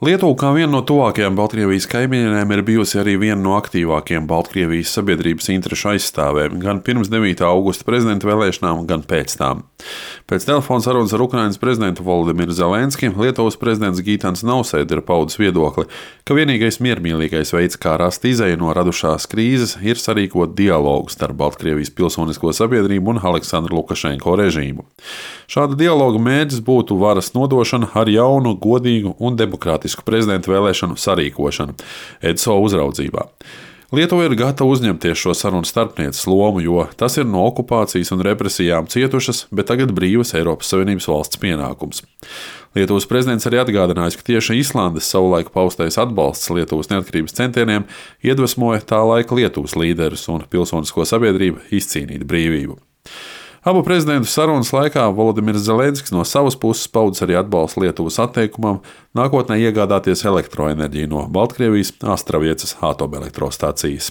Lietuva, kā viena no tuvākajām Baltkrievijas kaimiņiem, ir bijusi arī viena no aktīvākajām Baltkrievijas sabiedrības interešu aizstāvēm gan pirms 9. augusta prezidenta vēlēšanām, gan pēc tām. Pēc telefona sarunas ar Ukrainas prezidentu Volodimiru Zelenski Lietuvas prezidents Gitans Nausēda ir paudis viedokli, ka vienīgais miermīlīgais veids, kā rast izeju no radušās krīzes, ir sarīkot dialogu starp Baltkrievijas pilsonisko sabiedrību un Aleksandra Lukašenko režīmu. Šāda dialoga mērķis būtu varas nodošana ar jaunu, godīgu un demokrātisku prezidenta vēlēšanu sarīkošanu EDSO uzraudzībā. Lietuva ir gatava uzņemties šo sarunu starpnieces lomu, jo tas ir no okupācijas un represijām cietušas, bet tagad brīvas Eiropas Savienības valsts pienākums. Lietuvas prezidents arī atgādinājis, ka tieši Islandes savulaik paustais atbalsts Lietuvas neatkarības centieniem iedvesmoja tā laika Lietuvas līderus un pilsonisko sabiedrību izcīnīt brīvību. Abu prezidentu sarunas laikā Volodimirs Zelenskis no savas puses paudis arī atbalstu Lietuvas atteikumam nākotnē iegādāties elektroenerģiju no Baltkrievijas Astraviecas atomelektrostācijas.